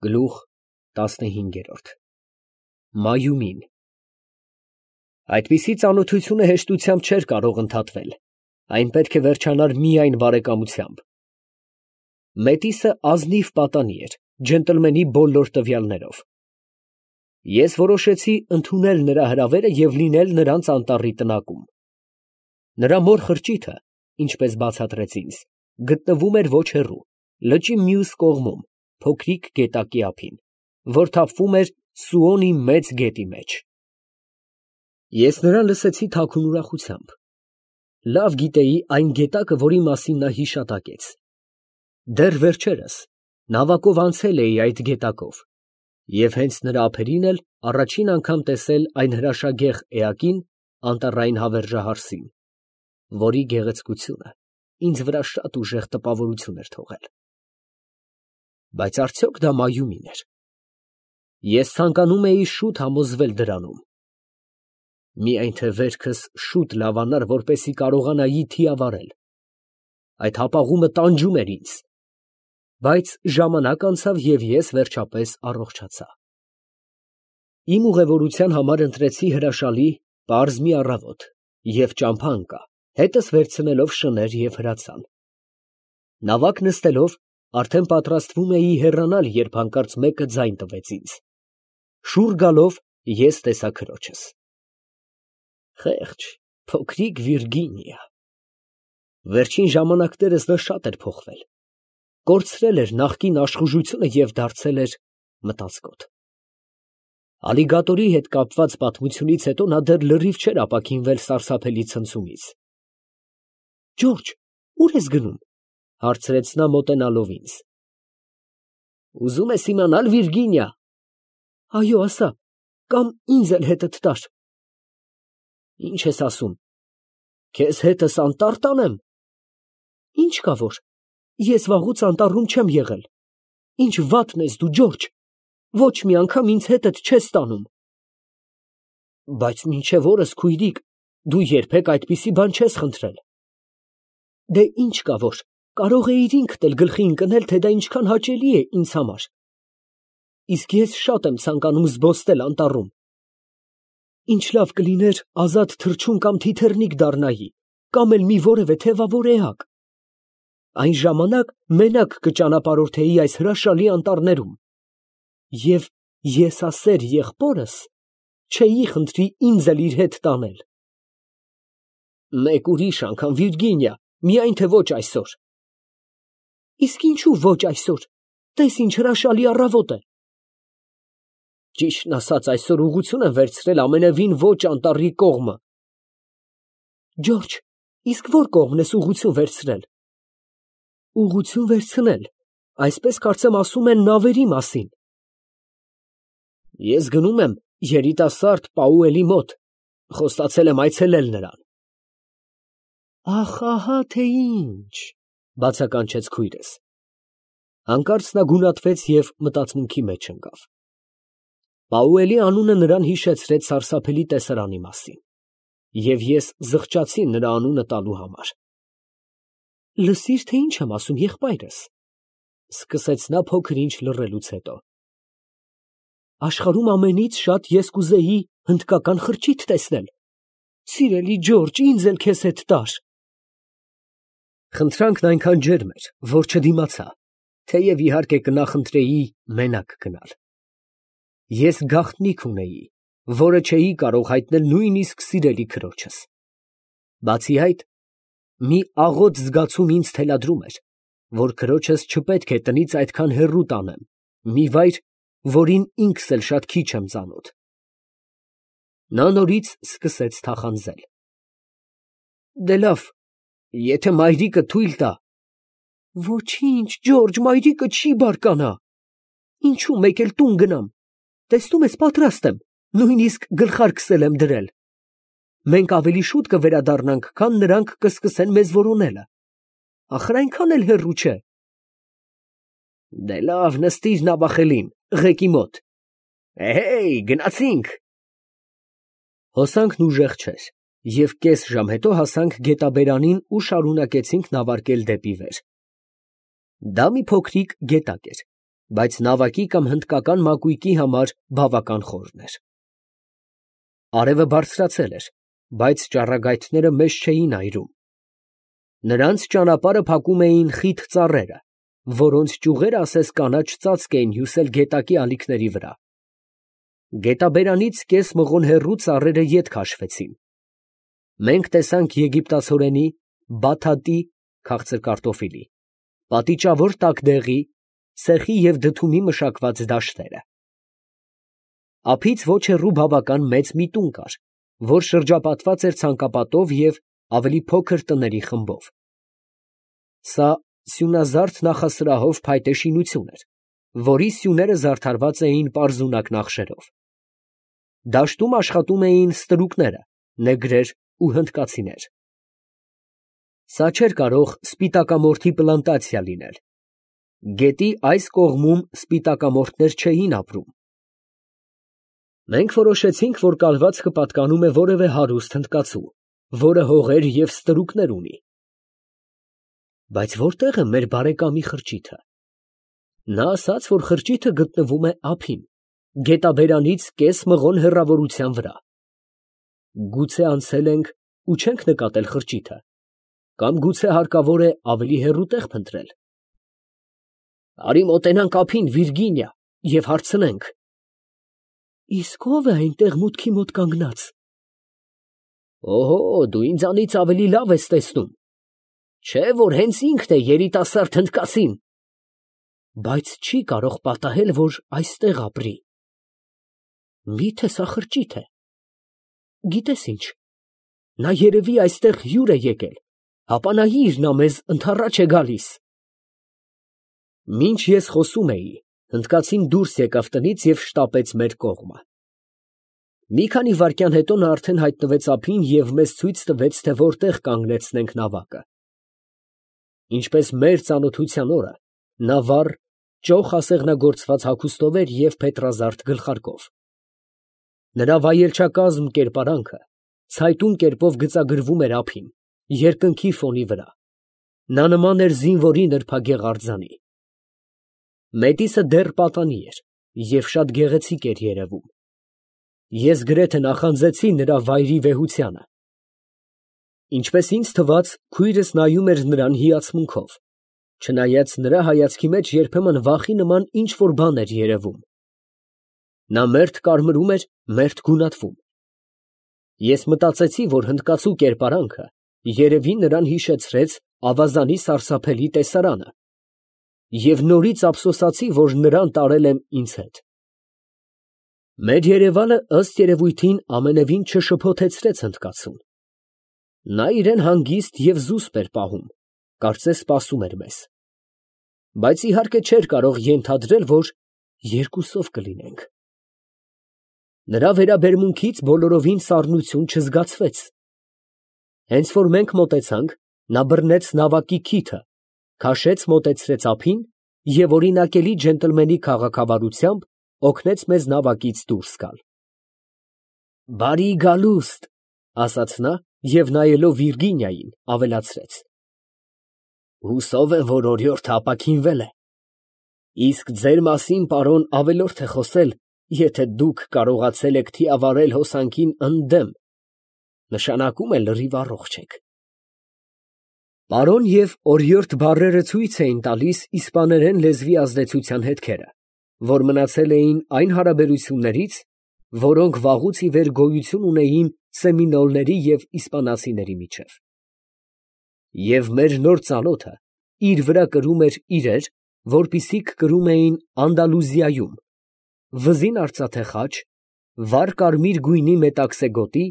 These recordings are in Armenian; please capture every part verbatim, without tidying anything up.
Գլուխ տասնհինգ։ Մայումին։ Այդպիսի ծանոթությունը հեշտությամբ չէր կարող ընդհատվել, այն պետք է վերջանար միայն բարեկամությամբ։ Մետիսը ազնիվ պատանի էր, ջենտլմենի բոլոր տվյալներով։ Ես որոշեցի ընդունել նրա հրավերը և լինել նրանց անտառի տնակում։ Նրա մոր խրճիթը, ինչպես բացատրեց ինձ, գտնվում էր ոչ հեռու, լճի մյուս կողմում, փոքրիկ գետակի ափին, որ թափվում էր Սուոնի մեծ գետի մեջ։ Ես նրան լսեցի թաքուն ուրախությամբ։ Լավ գիտեի այն գետակը, որի մասին նա հիշատակեց։ Դեռ վերջերս նավակով անցել էի այդ գետակով և հենց նրա ափերին էլ առաջին անգամ տեսել այն հրաշագեղ էակին, Անտառային հավերժահարսին, որի գեղեցկությունը ինձ վրա շատ ուժեղ տպավորություն էր թողել։ Բայց արդյոք դա Մայումին էր։ Ես ցանկանում էի շուտ համոզվել դրանում։ Միայն թե վերքս շուտ լավանար, որպեսզի կարողանայի թիավարել։ Այդ հապաղումը տանջում էր ինձ։ Բայց ժամանակ անցավ, և ես վերջապես առողջացա։ Իմ ուղևորության համար ընտրեցի հրաշալի, պարզ մի առավոտ և ճամփա ընկա, հետս վերցնելով շներ և հրացան։ Նավակ նստելով, արդեն պատրաստվում էի հեռանալ, երբ հանկարծ մեկը ձայն տվեց ինձ։ Շուռ գալով, ես տեսա քրոջս։ Խեղճ, փոքրիկ Վիրգինիա։ Վերջին ժամանակներս նա շատ էր փոխվել։ Կորցրել էր նախկին աշխուժությունը և դարձել էր մտածկոտ։ Ալիգատորի հետ կապված պատմությունից հետո նա դեռ լրիվ չէր ապաքինվել սարսափելի ցնցումից։ Ջորջ, ո՞ւր ես գնում, ֊ հարցրեց նա մոտենալով ինձ։ Ուզում ես իմանալ, Վիրգինիա։ Այո, ասա, կամ ինձ էլ հետդ տար։ Ի՞նչ ես ասում, քեզ հետս անտառ տանեմ։ Ինչ կա որ, ես վաղուց անտառում չեմ եղել։ Ինչ վատն ես դու, Ջորջ, ոչ մի անգամ ինձ հետդ չես տանում։ Բայց մինչև օրս, քույրիկ, դու երբեք այդպիսի բան չես խնդրել։ Դե ինչ կա որ, կարող էիր ինքդ էլ գլխի ընկնել, թե դա ինչքան հաճելի է ինձ համար։ Իսկ ես շատ եմ ցանկանում զբոսնել անտառում։ Ինչ լավ կլիներ ազատ թռչուն կամ թիթեռնիկ դառնայի, կամ էլ մի որևէ թևավոր էակ։ Այն ժամանակ մենակ կճանապարհորդեի այս հրաշալի անտառներում։ Եվ եսասեր եղբորս չէի խնդրի ինձ էլ իր հետ տանել։ Մեկ ուրիշ անգամ, Վիրգինիա, միայն թե ոչ այսօր։ Իսկ ինչու ոչ այսօր, տես ինչ հրաշալի առավոտ է։ Ճիշտն ասած, այսօր ուղղություն եմ վերցրել ամենևին ոչ անտառի կողմը։ Ջորջ, իսկ ո՞ր կողմն ես ուղղություն վերցրել։ Ուղղություն վերցնել, այսպես կարծեմ ասում են նավերի մասին։ Ես գնում եմ երիտասարդ Պաուելի մոտ, խոստացել եմ այցելել նրան։ Ախ, ահա թե ինչ, բացականչեց քույրս։ Հանկարծ նա գունատվեց և մտածմունքի մեջ ընկավ։ Պաուելի անունը նրան հիշեցրեց սարսափելի տեսարանի մասին, և ես զղջացի նրա անունը տալու համար։ Լսիր, թե ինչ եմ ասում, եղբայրս, ֊ սկսեց նա փոքր ինչ լռելուց հետո։ Աշխարհում ամենից շատ ես կուզեի հնդկական խրճիթ տեսնել։ Սիրելի Ջորջ, ինձ էլ քեզ հետ տար։ Խնդրանքն այնքան ջերմ էր, որ չդիմացա, թեև իհարկե կնախընտրեի մենակ գնալ։ Ես գաղտնիք ունեի, որը չէի կարող հայտնել նույնիսկ սիրելի քրոջս։ Բացի այդ, մի աղոտ զգացում ինձ թելադրում էր, որ քրոջս չպետք է տնից այդքան հեռու տանեմ, մի վայր, որին ինքս էլ շատ քիչ եմ ծանոթ։ Նա նորից սկսեց թախանձել։ Դե լավ, եթե մայրիկը թույլ տա։ Ոչինչ, Ջորջ, մայրիկը չի բարկանա։ Ինչու մեկ էլ տուն գնամ։ Տեսնում ես, պատրաստ եմ, նույնիսկ գլխարկ եմ դրել։ Մենք ավելի շուտ կվերադառնանք, քան նրանք կսկսեն մեզ որոնելը։ Ախր այնքան էլ հեռու չէ։ Դե լավ, նստիր նավախելին, ղեկի մոտ։ Էհեյ, գնացինք։ Հոսանքն ուժեղ չէր, և կես ժամ հետո հասանք գետաբերանին ու շարունակեցինք նավարկել դեպի վեր։ Դա մի փոքրիկ գետակ էր, բայց նավակի կամ հնդկական մակույկի համար բավական խորն էր։ Արևը բարձրացել էր, բայց ճառագայթները մեզ չէին այրում։ Նրանց ճանապարհը փակում էին խիտ ծառերը, որոնց ճյուղերը ասես կանաչ ծածկ էին հյուսել գետակի ալիքների վրա։ Գետաբերանից կես մղոն հեռու ծառերը ետ քաշվեցին։ Մենք տեսանք եգիպտացորենի, բաթաթի (քաղցր կարտոֆիլի), պատիճավոր տակդեղի, սեխի և դդումի մշակված դաշտերը։ Ափից ոչ հեռու բավական մեծ մի տուն կար, որ շրջապատված էր ցանկապատով և ավելի փոքր տների խմբով։ Սա սյունազարդ նախասրահով փայտե շինություն էր, որի սյուները զարդարված էին պարզունակ նախշերով։ Դաշտում աշխատում էին ստրուկները, նեգրեր ու հնդկացիներ։ Սա չէր կարող սպիտակամորթի պլանտացիա լինել։ Գետի այս կողմում սպիտակամորթներ չէին ապրում։ Մենք որոշեցինք, որ կալվածքը պատկանում է որևէ հարուստ հնդկացու, որը հողեր և ստրուկներ ունի։ Բայց որտե՞ղ է մեր բարեկամի խրճիթը։ Նա ասաց, որ խրճիթը գտնվում է ափին, գետաբերանից կես մղոն հեռավորության վրա։ Գուցե անցել ենք ու չենք նկատել խրճիթը, կամ գուցե հարկավոր է ավելի հեռու տեղ փնտրել։ Արի մոտենանք ափին, Վիրգինիա, և հարցնենք։ Իսկ ո՞վ է այնտեղ մուտքի մոտ կանգնած։ Օհո, դու ինձանից ավելի լավ ես տեսնում։ Չէ՞ որ հենց ինքն է երիտասարդ հնդկացին։ Բայց չի կարող պատահել, որ այստեղ ապրի։ Մի՞թե սա խրճիթ է։ Գիտես ինչ, նա երևի այստեղ հյուր է եկել, հապա նայիր, նա մեզ ընդառաջ է գալիս։ Մինչ ես խոսում էի, հնդկացին դուրս եկավ տնից և շտապեց մեր կողմը։ Մի քանի վայրկյան հետո նա արդեն հայտնվեց ափին և մեզ ցույց տվեց, թե որտեղ կանգնեցնենք նավակը։ Ինչպես մեր ծանոթության օրը, նա վառ, ճոխ ասեղնագործված հագուստով էր և փետրազարդ գլխարկով։ Նրա վայելչակազմ կերպարանքը ցայտուն կերպով գծագրվում էր ափին, երկնքի ֆոնի վրա։ Նա նման էր զինվորի նրբագեղ արձանի։ Մետիսը դեռ պատանի էր և շատ գեղեցիկ էր երևում։ Ես գրեթե նախանձեցի նրա վայրի վեհությանը։ Ինչպես ինձ թվաց, քույրս նայում էր նրան հիացմունքով, չնայած նրա հայացքի մեջ երբեմն վախի նման ինչ֊որ բան էր երևում։ Նա մերթ կարմրում էր, մերթ գունատվում։ Ես մտածեցի, որ հնդկացու կերպարանքը երևի նրան հիշեցրեց ավազանի սարսափելի տեսարանը, և նորից ափսոսացի, որ նրան տարել եմ ինձ հետ։ Մեր երևալը ըստ երևույթին ամենևին չշփոթեցրեց հնդկացուն։ Նա իրան հանգիստ և զուսպ էր պահում, կարծես սպասում էր մեզ։ Բայց իհարկե չէր կարող ենթադրել, որ երկուսով կլինենք։ Նրա վերաբերմունքից բոլորովին սառնություն չզգացվեց։ Հենց որ մենք մոտեցանք, նա բռնեց նավակի քիթը, քաշեց մոտեցրեց ափին և օրինակելի ջենտլմենի քաղաքավարությամբ օգնեց մեզ նավակից դուրս գալ։ Բարի գալուստ, ասաց նա և նայելով Վիրգինիային, ավելացրեց. Հուսով եմ, որ օրիորդը ապաքինվել է։ Իսկ ձեր մասին, պարոն, ավելորդ է խոսել, եթե դուք կարողացել եք թիավարել հոսանքին ընդդեմ, նշանակում է լրիվ առողջ եք։ Պարոն և օրիորդ բառերը ցույց էին տալիս իսպաներեն լեզվի ազդեցության հետքերը, որ մնացել էին այն հարաբերություններից, որոնք վաղուց ի վեր գոյություն ունեին սեմինոլների և իսպանացիների միջև։ Եվ մեր նոր ծանոթը իր վրա կրում էր իրեր, որպիսիք կրում էին Անդալուզիայում, վզին արծաթե խաչ, վառ կարմիր գույնի մետաքսե գոտի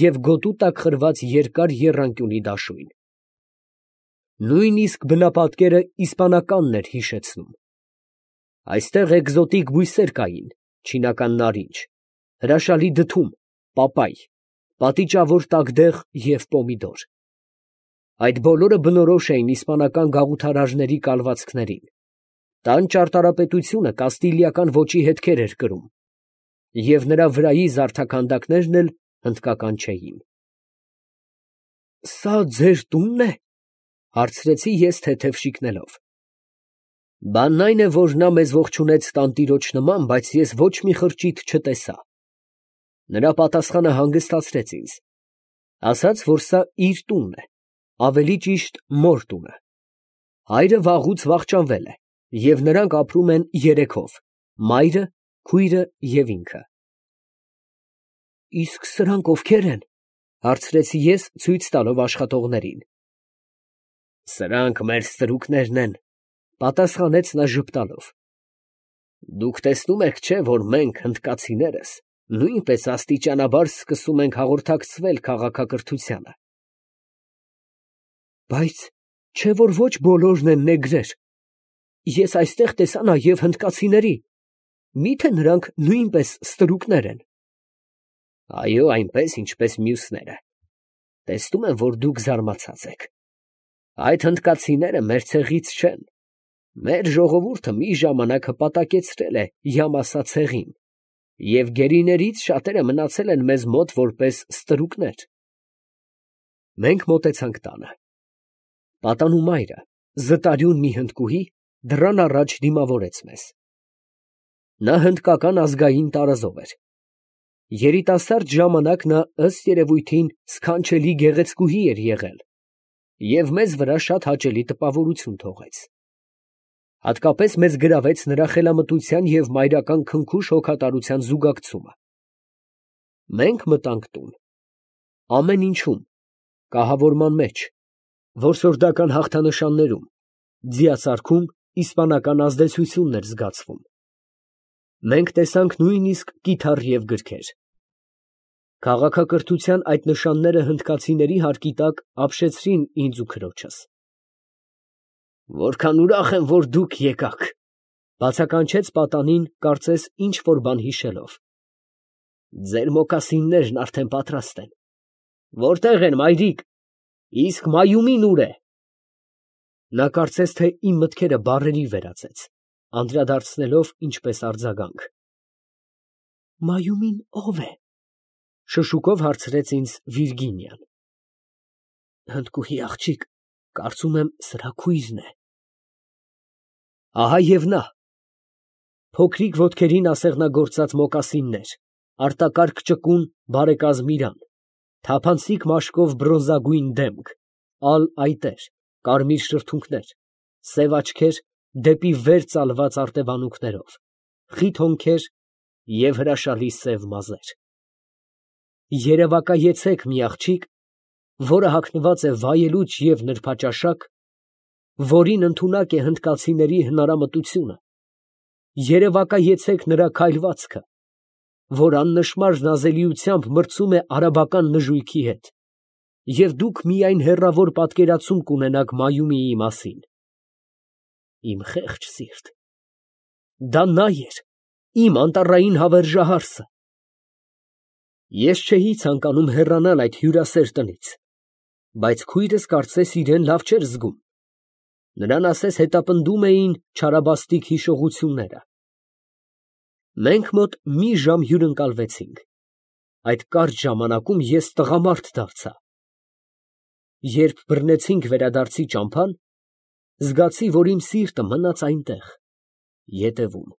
և գոտու տակ խրված երկար եռանկյունի դաշույն։ Նույնիսկ բնապատկերը իսպանականն էր հիշեցնում։ Այստեղ էկզոտիկ բույսեր կային, չինական նարինջ, հրաշալի դդում, պապայ, պատիճավոր տակդեղ և պոմիդոր։ Այդ բոլորը բնորոշ էին իսպանական գաղութարարների կալվածքներին։ Տան ճարտարապետությունը կաստիլիական ոճի հետքեր էր կրում, և նրա վրայի զարդաքանդակներն էլ հնդկական չէին։ ֊ Սա ձեր տունն է, ֊ հարցրեցի ես թեթև շիկնելով։ Բանն այն է, որ նա մեզ ողջունեց տանտիրոջ նման, բայց ես ոչ մի խրճիթ չտեսա։ Նրա պատասխանը հանգստացրեց ինձ, ասաց, որ սա իր տունն է, ավելի ճիշտ մոր տունը։ Հայրը վաղուց վախճանվել է, և նրանք ապրում են երեքով՝ մայրը, քույրը և ինքը։ Իսկ սրանք ովքե՞ր են, ֊ հարցրեցի ես, ցույց տալով աշխատողներին։ Սրանք մեր ստրուկներն են, ֊ պատասխանեց նա ժպտալով։ Դուք տեսնում եք, չէ՞, որ մենք, հնդկացիներս, նույնպես աստիճանաբար սկսում ենք հաղորդակցվել քաղաքակրթությանը։ Բայց չէ՞ որ ոչ բոլորն են նեգրեր։ Ես այստեղ տեսա նաև հնդկացիների, մի՞թե նրանք նույնպես ստրուկներ են։ Այո, այնպես, ինչպես մյուսները։ Տեսնում եմ, որ դուք զարմացած եք։ Այդ հնդկացիները մեր ցեղից չեն։ Մեր ժողովուրդը մի ժամանակ հպատակեցրել է Յամասա ցեղին, և գերիներից շատերը մնացել են մեզ մոտ որպես ստրուկներ։ Մենք մոտեցանք տանը։ Պատանու մայրը, զտարյուն մի հնդկուհի, դռան առաջ դիմավորեց մեզ։ Նա հնդկական ազգային տարազով էր։ Երիտասարդ ժամանակ նա ըստ երևույթին սքանչելի գեղեցկուհի էր եղել և մեզ վրա շատ հաճելի տպավորություն թողեց։ Հատկապես մեզ գրավեց նրա խելամտության և մայրական քնքուշ հոգատարության զուգակցումը։ Մենք մտանք տուն։ Ամեն ինչում, կահավորման մեջ, որսորդական հաղթանշաններում, ձիասարքում իսպանական ազդեցությունն էր զգացվում։ Մենք տեսանք նույնիսկ կիթառ և գրքեր։ Քաղաքակրթության այդ նշանները հնդկացիների հարկի տակ ապշեցրին ինձ ու քրոջս։ Որքան ուրախ եմ, որ դուք եկաք, ֊ բացականչեց պատանին, կարծես ինչ֊որ բան հիշելով։ Ձեր մոկասիններն արդեն պատրաստ են։ Որտե՞ղ են, մայրիկ, իսկ Մայումին ո՞ւր է։ Նա կարծես թե իմ մտքերը բառերի վերածեց, անդրադարձնելով ինչպես արձագանք։ Մայումին ո՞վ է, ֊ շշուկով հարցրեց ինձ Վիրգինիան։ Հնդկուհի աղջիկ, կարծում եմ սրա քույրն է։ Ահա և նա։ Փոքրիկ ոտքերին ասեղնագործած մոկասիններ, արտակարգ ճկուն բարեկազմ իրան, թափանցիկ մաշկով բրոնզագույն դեմք, ալ այտեր, կարմիր շրթունքներ, սև աչքեր դեպի վեր ծալված արտևանունքներով, խիտ հոնքեր և հրաշալի սև մազեր։ Երևակայեցեք մի աղջիկ, որը հագնված է վայելուչ և նրբաճաշակ, որին ընդունակ է հնդկացիների հնարամտությունը, երևակայեցեք նրա քայլվածքը, որ աննշմար նազելիությամբ մրցում է արաբական նժույգի հետ, և դուք միայն հեռավոր պատկերացում կունենաք Մայումիի մասին։ Իմ խեղճ սիրտ, դա նա էր, իմ անտառային հավերժահարսը։ Ես չէի ցանկանում հեռանալ այդ հյուրասեր տնից, բայց քույրս կարծես իրեն լավ չէր զգում։ Նրան ասես հետապնդում էին չարաբաստիկ հիշողությունները։ Մենք մոտ մի ժամ հյուրընկալվեցինք։ Այդ կարճ ժամանակում ես տղամարդ դարձա։ Երբ բռնեցինք վերադարձի ճամփան, զգացի, որ իմ սիրտը մնաց այնտեղ, ետևում։